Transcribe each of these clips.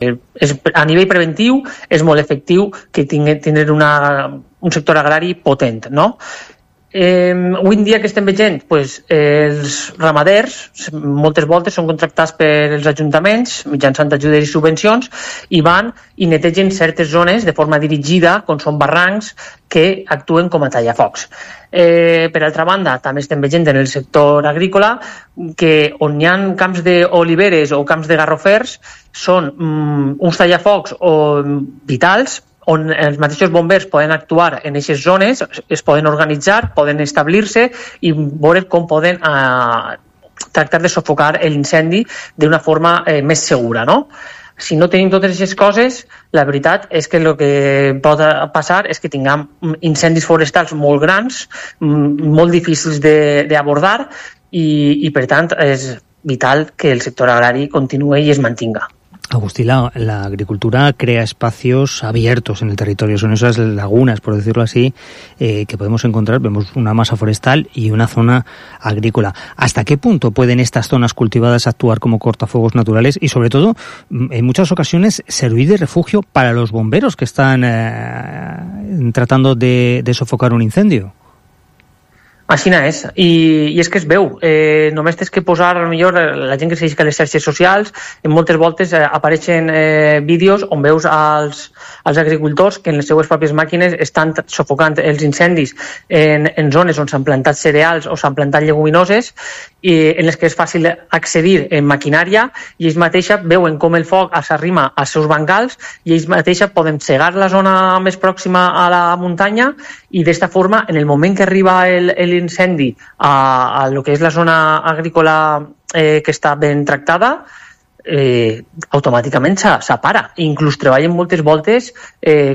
a nivell preventiu és molt efectiu que tindre un sector agrari potent, no? Avui en dia que estem veient, els ramaders moltes voltes són contractats pels ajuntaments mitjançant ajudes i subvencions i van i netegen certes zones de forma dirigida, com són barrancs, que actuen com a tallafocs. Per altra banda, també estem veient en el sector agrícola que on hi ha camps d'oliveres o camps de garrofers són uns tallafocs vitals on els mateixos bombers poden actuar en aquestes zones, es poden organitzar, poden establir-se i veure com poden tractar de sufocar l'incendi d'una forma més segura, no? Si no tenim totes aquestes coses, la veritat és que el que pot passar és que tinguem incendis forestals molt grans, molt difícils d'abordar i per tant és vital que el sector agrari continuï i es mantinga. Agustí, la agricultura crea espacios abiertos en el territorio, son esas lagunas, por decirlo así, que podemos encontrar. Vemos una masa forestal y una zona agrícola. ¿Hasta qué punto pueden estas zonas cultivadas actuar como cortafuegos naturales y, sobre todo, en muchas ocasiones, servir de refugio para los bomberos que están tratando de sofocar un incendio? Així és, i és que es veu, només tens que posar, potser la gent que segueix a les xarxes socials, en moltes voltes apareixen vídeos on veus els agricultors que en les seues pròpies màquines estan sufocant els incendis en zones on s'han plantat cereals o s'han plantat lleguminoses i en les que és fàcil accedir en maquinària i ells mateixos veuen com el foc s'arrima als seus bancals i ells mateixos poden cegar la zona més pròxima a la muntanya i d'esta forma, en el moment que arriba l'incendi a lo que és la zona agrícola que està ben tractada, automàticament s'apara. Inclús treballen moltes voltes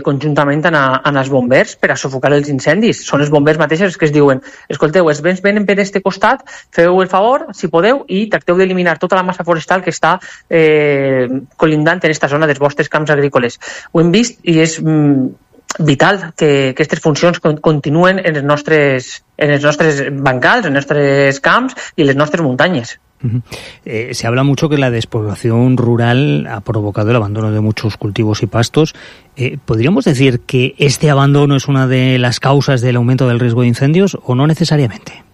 conjuntament amb els bombers per a sufocar els incendis. Són els bombers mateixos que es diuen: escolteu, els vents venen per este costat, feu el favor, si podeu, i tracteu d'eliminar tota la massa forestal que està colindant en aquesta zona dels vostres camps agrícoles. Ho hem vist i és vital que aquestes funcions continuen en els nostres bancals, en els nostres camps i en les nostres muntanyes. Se habla mucho que la despoblación rural ha provocado el abandono de muchos cultivos y pastos. ¿Podríamos decir que este abandono es una de las causas del aumento del riesgo de incendios o no necesariamente?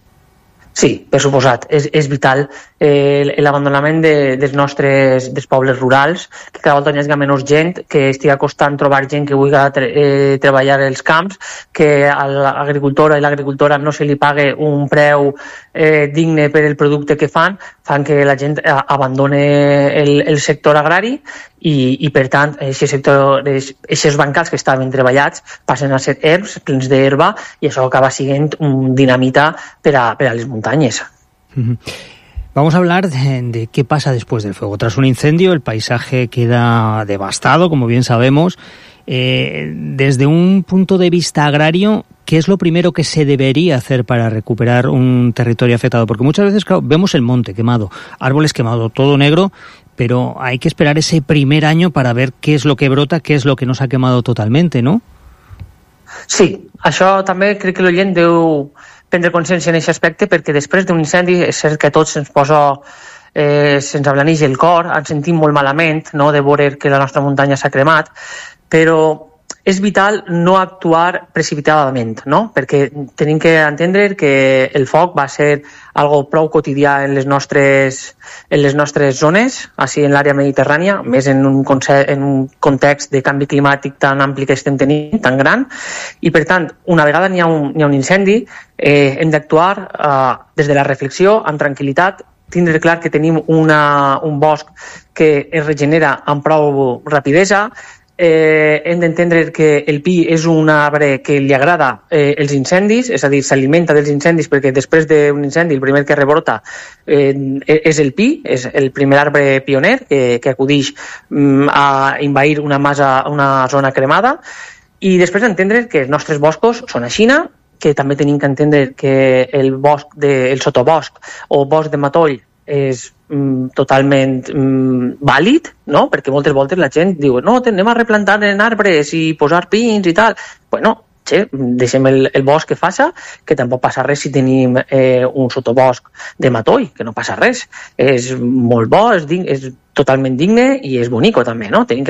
Sí, per suposat. És vital l'abandonament dels pobles rurals, que cada volta hi hagi menys gent, que estigui costant trobar gent que vulgui treballar els camps, que a l'agricultor i l'agricultora no se li pague un preu digne per el producte que fan que la gent abandone el sector agrari i per tant, aquests bancals que estaven treballats passen a ser herbs, plens d'herba, i això acaba sent un dinamita per a les muntanyes. Vamos a hablar de qué pasa después del fuego. Tras un incendio, el paisaje queda devastado, como bien sabemos. Desde un punto de vista agrario, ¿qué es lo primero que se debería hacer para recuperar un territorio afectado? Porque muchas veces, claro, vemos el monte quemado, árboles quemados, todo negro, pero hay que esperar ese primer año para ver qué es lo que brota, qué es lo que nos ha quemado totalmente, ¿no? Sí, això també crec que l'oient deu prendre consciència en aquest aspecte, perquè després d'un incendi és cert que a tots se'ns posa, se'ns ablaneix el cor, ens sentim molt malament, no?, de veure que la nostra muntanya s'ha cremat, però és vital no actuar precipitadament, no? Perquè tenim que entendre que el foc va ser algo prou quotidià en les nostres zones, així en l'àrea mediterrània, més en un context de canvi climàtic tan ampli que estem tenint, tan gran, i per tant, una vegada hi ha un incendi, hem d'actuar des de la reflexió, amb tranquil·litat, tindre clar que tenim un bosc que es regenera amb prou rapidesa. Hem d'entendre que el pi és un arbre que li agrada els incendis, és a dir, s'alimenta dels incendis, perquè després d'un incendi el primer que rebrota és el pi, és el primer arbre pioner que acudeix a envair una zona cremada, i després d'entendre que els nostres boscos són a Xina, que també tenim que entendre que el sotobosc o bosc de matoll és totalment vàlid, no? Perquè moltes voltes la gent diu no, anem a replantar en arbres i posar pins i tal. Bueno, deixem el bosc que faça, que tampoc passa res si tenim un sotobosc de matoll, que no passa res. És molt bo, és totalment digne i és bonico també, no? Tenim que